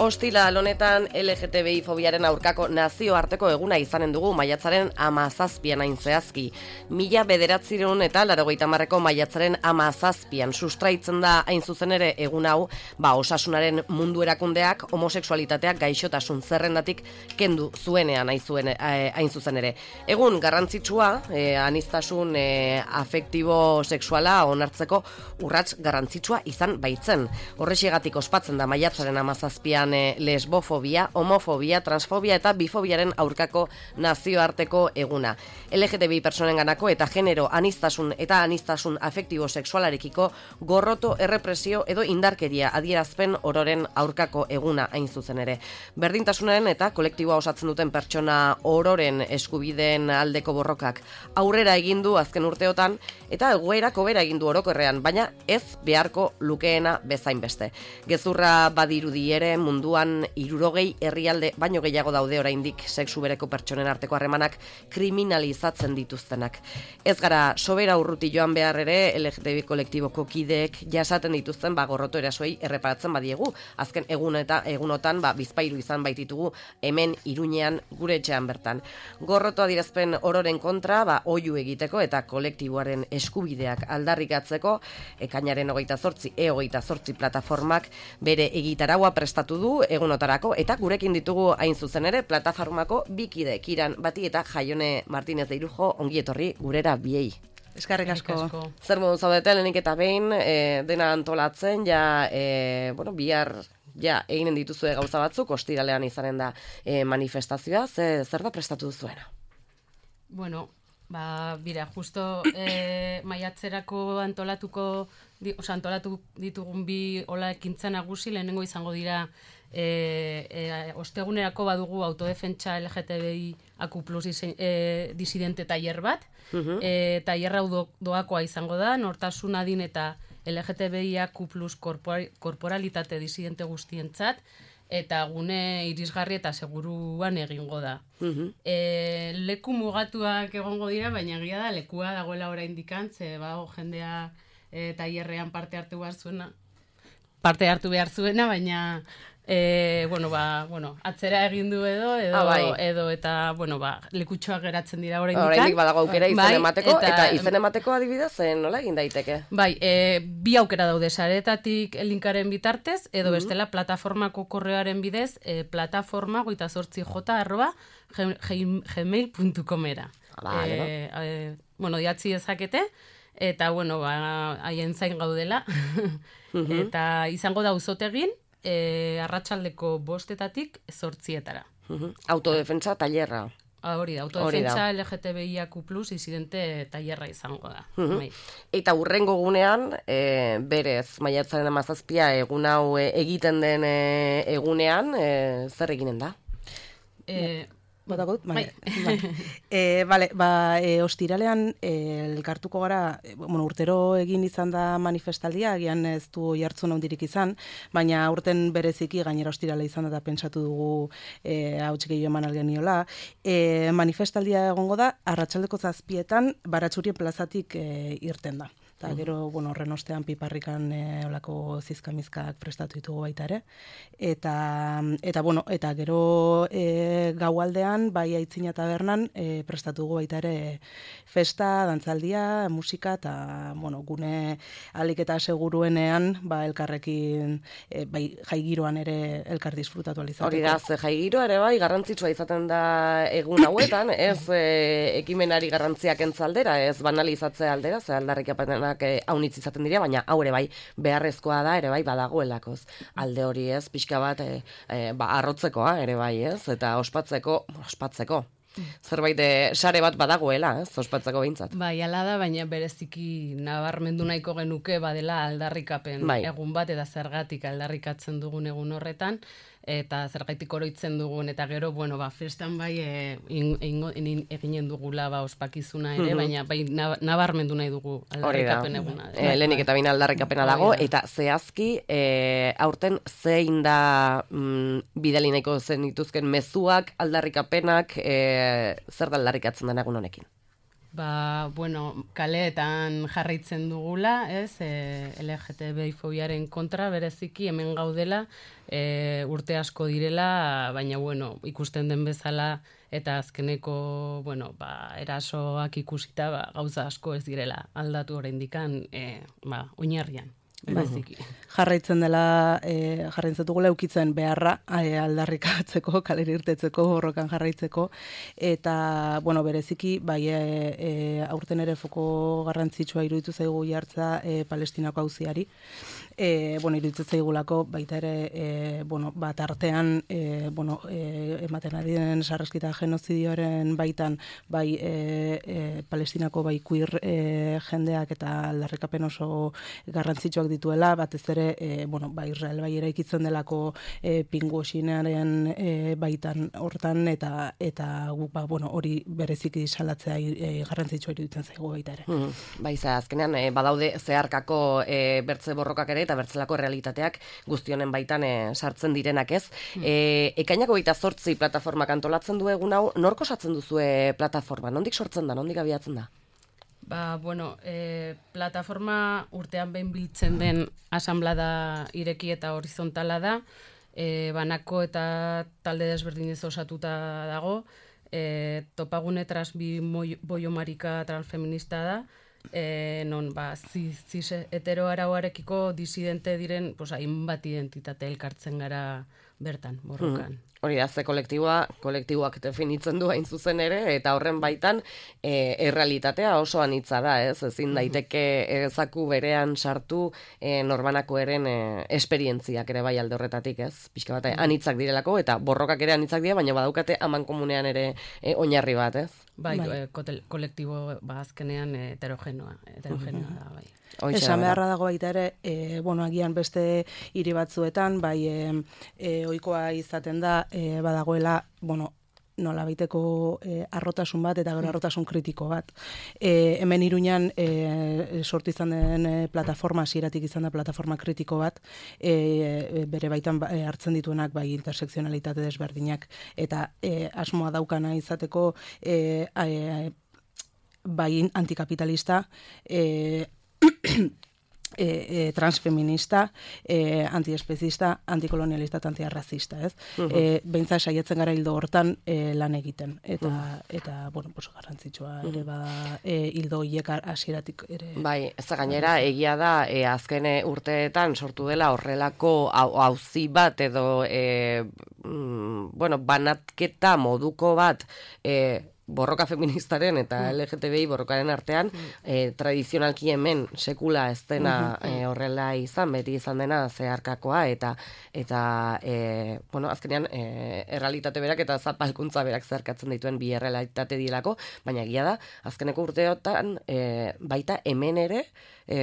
Ostiral honetan LGTBI fobiaren aurkako nazioarteko eguna izanen dugu maiatzaren 17an hain zehazki. 1980ko maiatzaren 17an sustraitzen da hain zuzen ere egun hau, osasunaren mundu erakundeak homosexualitateak gaixotasun zerrendatik kendu zuenean hain zuzen ere. Egun garrantzitsua, aniztasun afektibo sexuala onartzeko urrats garrantzitsua izan baitzen. Horrexigatik ospatzen da maiatzaren 17an lesbofobia, homofobia, transfobia eta bifobiaren aurkako nazioarteko eguna. LGTBI personenganako eta genero aniztasun eta aniztasun afektibo sexualarekiko gorroto, errepresio edo indarkeria adierazpen ororen aurkako eguna hain zuzen ere. Berdintasunaren eta kolektiboa osatzen duten pertsona ororen eskubideen aldeko borrokak aurrera egin du azken urteotan eta egoerak hobera egin du orokorrean, baina ez beharko lukeena bezain beste. Gezurra badirudi ere munduan 60 herrialde baino gehiago daude oraindik sexu bereko pertsonen arteko harremanak kriminalizatzen dituztenak. Ez gara sobera urruti joan behar ere LGTBI kolektiboko kideek jasaten dituzten gorroto erasoei erreparatzen badiegu. Azken egunotan bizpahiru izan baititugu hemen Iruñean gure etxean bertan. Gorroto adierazpen ororen kontra oihu egiteko eta kolektiboaren eskubideak aldarrikatzeko ekainaren 28 E28 plataformak bere egitaraua prestatu du egunotarako eta gurekin ditugu hain zuzen ere plataformako bikide Kiran Bati eta Jaione Martinez de Irujo, ongi etorri gurera biei. Eskerrik asko. Zer modu zaudete lehenik eta behin dena antolatzen bihar eginen dituzue gauza batzuk, ostiralean izanen da manifestazioa, zer da prestatu duzuena? Bueno, justo maiatzerako antolatu ditugun bi ekintza nagusi, lehenengo izango dira ostegunerako badugu autodefentsa LGTBI AQ+ disidente tailer bat, tailer hau doakoa izango da, nortasun adin eta LGTBI AQ+ korporalitate disidente guztientzat, eta gune irisgarri eta seguruan egingo da. Leku mugatuak egongo dira, baina egia da, lekua dagoela oraindik ze jendea tailerrean parte hartu behar zuena, baina atzera egin du edo eta lekutxoak geratzen dira oraindik. Oraindik badago aukera izen emateko, eta izen emateko adibidez nola egin daiteke? Bi aukera daude saretatik linkaren bitartez, edo bestela plataformako korreoaren bidez, plataforma 38@gmail.comera. Idatzi dezakete, eta haien zain gaudela, eta izango da auzotegin, arratsaldeko 5:00 8:00. Autodefentsa tailerra. Hori da, autodefentsa LGTBI AQ+ disidente tailerra izango da. Eta hurrengo gunean, berez, maiatzaren 17 egun hau egiten den egunean, zer eginen da? Ostiralean elkartuko gara, urtero egin izan da manifestaldia, agian ez du jartzun handirik izan, baina aurten bereziki gainera ostirala izan da pentsatu dugu hauts gehiago eman algeniola. Manifestaldia egongo da, arratsaldeko 7:00 Baratxurien plazatik irten da. Eta gero, horren ostean piparrikan olako zizkamizkak prestatu ditugu baita ere. Eta gero gaualdean, bai Aitzina tabernan, prestatu dugu baita ere festa, dantzaldia, musika, eta gune alik eta seguruenean, elkarrekin, jaigiroan ere elkar disfrutatu alizateko. Hori da, jaigiroa ere bai, garrantzitsua izaten da egun hauetan, ez ekimenari garrantziak entzaldera, ez banalizatzea aldera, ze aldarrikapenak haunitz izaten dira, baina hau ere bai beharrezkoa da, ere bai badagoelakoz. Alde hori ez, pixka bat arrotzekoa ere bai ez, eta ospatzeko. Zerbait sare bat badagoela, ez, ospatzeko behintzat. Hala da, baina bereziki nabarmendu nahiko genuke badela aldarrikapen egun bat, eta zergatik aldarrikatzen dugun egun horretan, eta zergaitik oroitzen dugun, eta gero, festan eginen dugula ospakizuna ere, baina nabarmendu nahi dugu aldarrikapen eguna. Lehenik eta baina aldarrikapena dago, eta zehazki, aurten zein da bidali nahiko zen dituzken mezuak, aldarrikapenak, zer da aldarrikatzen den egun honekin? Bueno, kaleetan jarraitzen dugula, ez, LGTBI fobiaren kontra, bereziki hemen gaudela, urte asko direla, baina, bueno, ikusten den bezala, eta azkeneko, erasoak ikusita, gauza asko ez direla aldatu oraindikan, oinarrian. Jarraitzen dugula eukitzen beharra aldarrikatzeko, kalera irtetzeko, borrokan jarraitzeko, eta, bereziki, aurten ere foko garrantzitsua iruditu zaigu jartza Palestinako auziari. Iruditzen zaigulako, baita ere, artean, ematen ari den sarraskita genozidioaren baitan, Palestinako queer jendeak eta aldarrikapen oso garrantzitsuak dituela, batez ere, Israel eraikitzen delako pinguoxinaren baitan hortan, eta guk, hori bereziki salatzea garrantzitsua iruditzen zaigu baita ere. Azkenean, badaude zeharkako bertze borrokak ere, eta bertzelako realitateak guztionen baitan sartzen direnak ez. Ekainako 28 plataformak antolatzen du egun hau, nork osatzen duzue plataforma? Nondik sortzen da, nondik abiatzen da? Plataforma urtean behin biltzen den asanblada ireki eta horizontala da, banako eta talde desberdinez osatuta dago, topagune transbi boiomarika transfeminista da, non cis hetero arauarekiko disidente diren hainbat identitate elkartzen gara bertan, borrokan. Hori da, ze kolektiboak definitzen du hain zuzen ere, eta horren baitan errealitatea oso anitza da, ez? Ezin daiteke zaku berean sartu norbanako eren esperientziak ere bai alde horretatik, ez? Pixka bat, anitzak direlako, eta borrokak ere anitzak dira, baina badaukate aman komunean ere oinarri bat, ez? Kolektibo azkenean heterogenoa da, bai. Esan beharra dago baita ere, agian beste hiri batzuetan, ohikoa izaten da, badagoela, nola baiteko arrotasun bat eta gero arrotasun kritiko bat. Hemen Iruñan sortu izan den plataforma, hasieratik izan da plataforma kritiko bat, bere baitan hartzen dituenak intersekzionalitate desberdinak, eta asmoa daukana izateko antikapitalista, transfeminista, antiespezista, antikolonialista eta antiarrazista, ez? Beintza saiatzen gara hildo hortan lan egiten, eta garrantzitsua ere hildo hiek hasieratik ere. Bai, ez gainera, egia da, azken urteetan sortu dela horrelako auzi bat edo, banatketa moduko bat, borroka feministaren eta LGTBI borrokaren artean, tradizionalki hemen sekula ez dena horrela izan, beti izan dena zeharkakoa, eta azkenean errealitate berak eta zapalkuntza berak zeharkatzen dituen bi errealitate dilako, baina egia da, azkeneko urteotan baita hemen ere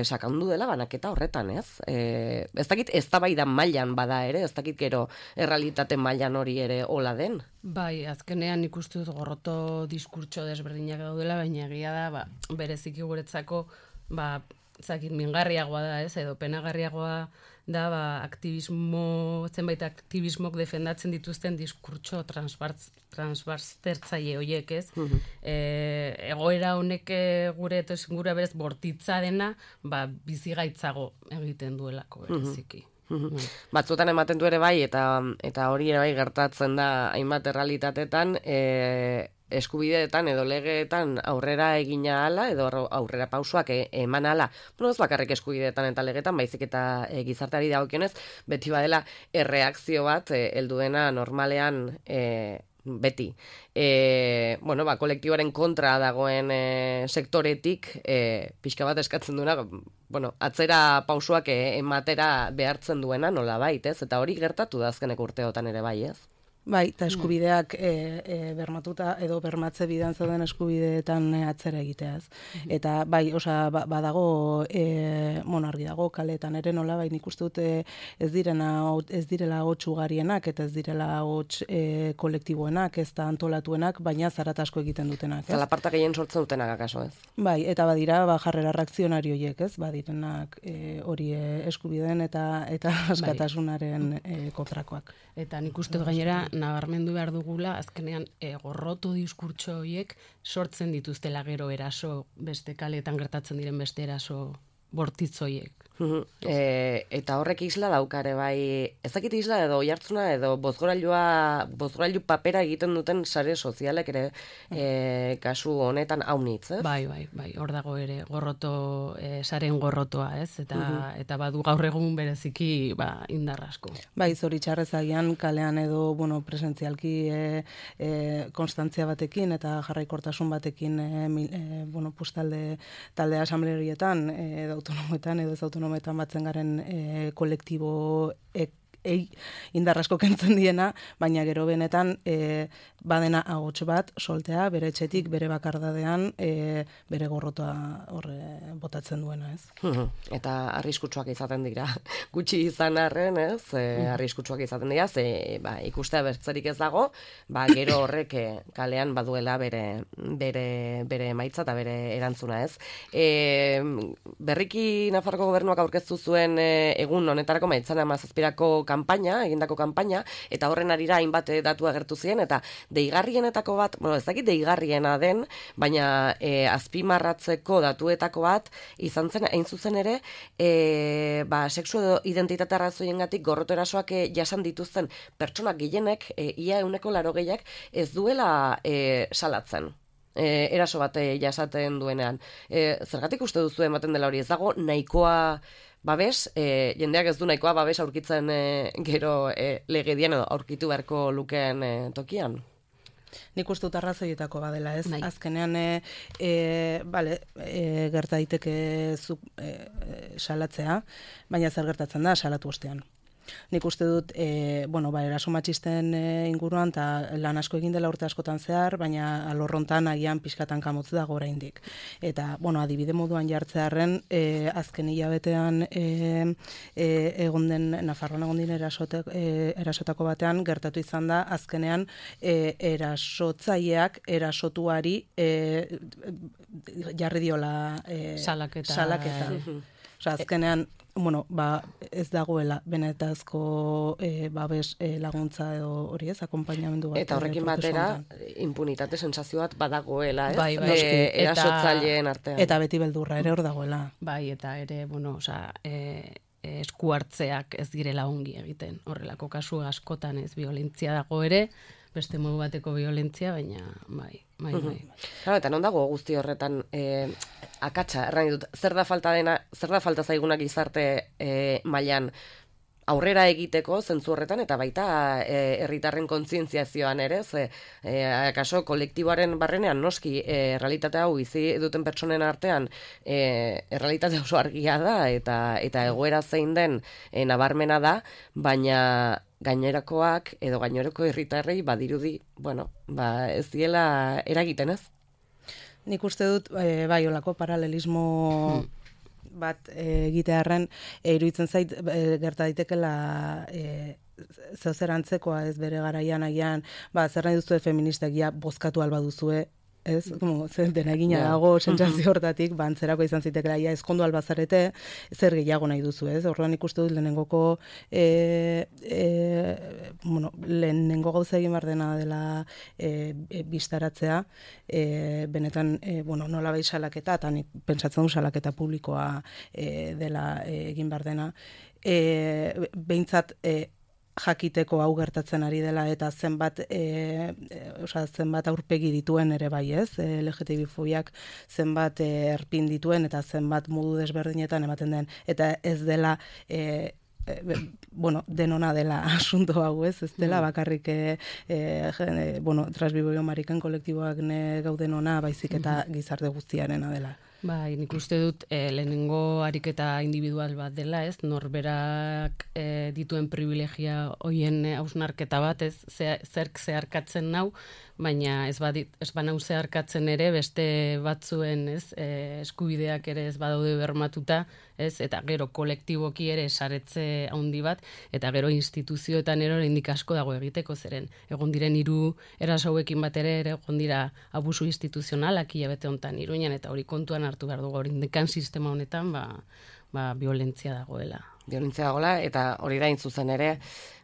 sakandu dela banaketa horretan, ez? Ez dakit eztabaidan mailan bada ere, ez dakit gero errealitate mailan hori ere hola den? Bai, azkenean ikustu dut gorroto diskurtso desberdinak daudela, baina egia da, bereziki guretzako, mingarriagoa da, ez, edo penagarriagoa da, zenbait aktivismok defendatzen dituzten diskurtso transbastertzaile horiek, ez? Egoera honek gure berez bortitza dena, bizigaitzago egiten duelako, bereziki. Batzuetan ematen du ere bai, eta hori ere bai gertatzen da hainbat errealitatetan, eskubideetan edo legeetan aurrera egina ala edo aurrera pausoak eman ala. Ez bakarrik eskubideetan eta legeetan, baizik eta gizarteari dagokionez, beti badela erreakzio bat heldu dena normalean beti. Kolektiboaren kontra dagoen sektoretik pixka bat eskatzen duena, atzera pausoak ematera behartzen duena nola bait, ez? Eta hori gertatu da azkeneko urteotan ere bai, ez? Bai, eta eskubideak bermatuta edo bermatze bidan zauden eskubideetan atzera egiteaz. Eta bai, badago, argi dago, kaletan ere nola, bai, nik uste dut ez direla hots ugarienak, eta ez direla hots kolektiboenak, ez da antolatuenak, baina zarat asko egiten dutenak. Zalaparta gehien sortzen dutenak, akaso, ez? Bai, eta badira, jarrera reakzionari horiek, ez? Badirenak hori eskubideen eta askatasunaren kontrakoak. Eta nik uste dut gainera, nabarmendu behar dugula, azkenean gorroto diskurtso horiek sortzen dituztela gero eraso, beste kaletan gertatzen diren beste eraso bortitz horiek. Eta horrek isla daukare bai, ezakit isla edo oihartzuna edo bozgorailu papera egiten duten sare sozialek ere kasu honetan haunitz, ez? Bai, hor dago ere gorroto, saren gorrotoa, ez? Eta badu gaur egun bereziki indar asko. Bai, zoritxarrez agian kalean edo, presentzialki konstantzia batekin eta jarraikortasun batekin talde asamblerietan edo autonomoetan edo ez autonomoetan batzen garen kolektibo indar asko kentzen diena, baina gero benetan badena ahots bat soltea, bere etxetik, bere bakardadean, bere gorrotoa horre botatzen duena, ez? Eta arriskutsuak izaten dira. Gutxi izan arren, ez? Arriskutsuak izaten dira, ikustea bertzerik ez dago, gero horrek kalean baduela bere emaitza eta bere erantzuna, ez? Berriki Nafarroko gobernuak aurkeztu zuen egun honetarako maiatzaren 17ko egindako kanpaina, eta horren arira hainbat datu agertu ziren, eta deigarrienetako bat, ez dakit deigarriena den, baina azpimarratzeko datuetako bat izan zen, hain zuzen ere, sexu identitate arrazoiengatik gorroto erasoak jasan dituzten pertsonak gehienek, ia 180 ez duela salatzen. Eraso bat jasaten duenean. Zergatik uste duzu ematen dela hori, ez dago nahikoa babes, jendeak ez du nahikoa babes aurkitzen gero legedian edo aurkitu beharko lukeen tokian? Nik uste dut arrazoietako badela, ez? Azkenean, gerta daiteke salatzea, baina zer gertatzen da salatu ostean. Nik uste dut, eraso matxisten inguruan, eta lan asko egin dela urte askotan zehar, baina alorrontan agian pixkatan kamotz dago oraindik. Eta, adibide moduan jartzearren, azken hilabetean Nafarroan egon den erasotako batean, gertatu izan da, azkenean erasotzaileak erasotuari jarri diola salaketa. Azkenean, ez dagoela benetazko babes laguntza edo hori ez, akonpainamendu bat. Eta horrekin batera, impunitate sentsazio bat badagoela, ez? Erasotzaileen artean. Eta beti beldurra ere hor dagoela. Bai, eta ere, esku hartzeak ez direla ongi egiten. Horrelako kasu askotan ez violentzia dago ere, beste modu bateko violentzia, baina bai. Claro, eta non dago guzti horretan akatsa, erran ditut, zer da falta zaigunak gizarte mailan aurrera egiteko zentzu horretan, eta baita herritarren kontzientziazioan ere, akaso kolektiboaren barrenean noski errealitate hau bizi duten pertsonen artean errealitate oso argia da, eta egoera zein den nabarmena da, baina gainerakoak edo gainerako herritarrei badirudi, ez diela eragiten, ez? Nik uste dut, olako paralelismo bat egitearren iruditzen zait gerta daitekela zeozer antzekoa ez bere garaian agian, zer nahi duzue feministak bozkatu alba duzue, ez? Dena egina dago sentsazio hortatik, antzerako izan zitekela, ezkondu albazarete, zer gehiago nahi duzu, ez? Orduan ikustu dut lehenengo gauza egin behar dena dela bistaratzea, benetan, nolabait salaketa, eta nik pentsatzen du salaketa publikoa dela egin behar dena, behintzat jakiteko hau gertatzen ari dela eta zenbat aurpegi dituen ere bai, ez? LGTB-fobiak zenbat erpin dituen eta zenbat modu desberdinetan ematen den, eta ez dela denona dela asunto hau, ez dela bakarrik transbiboio mariken kolektiboak gauden ona, baizik eta gizarte guztiarena dela. Bai, nik uste dut lehenengo ariketa individual bat dela, ez? Norberak dituen privilegia hoien hausnarketa bat, ez? Zerk zeharkatzen nau, baina ez banau zeharkatzen ere beste batzuen, ez? Eskubideak ere ez badaude bermatuta, ez? Eta gero kolektiboki ere saretze handi bat, eta gero instituzioetan ere oraindik asko dago egiteko, zeren egon diren 3 eraso hauekin batera ere egon dira abusu instituzionalak hilabete hontan Iruñan, eta hori kontuan hartu behar dugu, orindekan sistema honetan violentzia dagoela. Violentzia dagoela, eta hori da zuzen ere,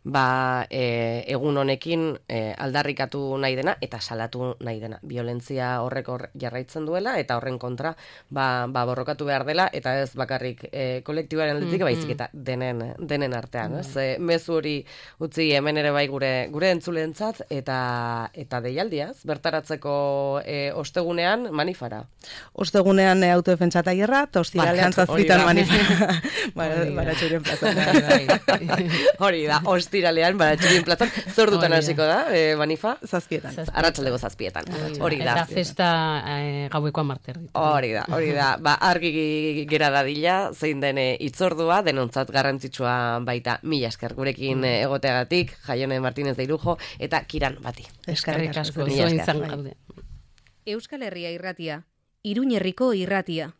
egun honekin aldarrikatu nahi dena eta salatu nahi dena. Violentzia horrek jarraitzen duela eta horren kontra borrokatu behar dela eta ez bakarrik kolektibaren aldetik baizik eta denen artean. Mezu hori utzi hemen ere bai gure entzuleentzat eta deialdiaz, bertaratzeko ostegunean manifara. Ostegunean autodefentsa tailerra, eta ostiralean 7 manifara. Baratxurien plazan. Hori da, ostiralean Baratxurien plazan. Zordutan hasiko da, manifa? 7. Arratsaldeko 7. Hori da. Eta festa gaueko 10. Hori da. Argi gera dadila, zein den hitzordua, denontzat garrantzitsua baita. Mila esker gurekin egoteagatik, Jaione Martínez de Irujo eta Kiran Bati. Eskerrik asko, zuen izan gaude. Euskal Herria irratia, Iruñerriko irratia.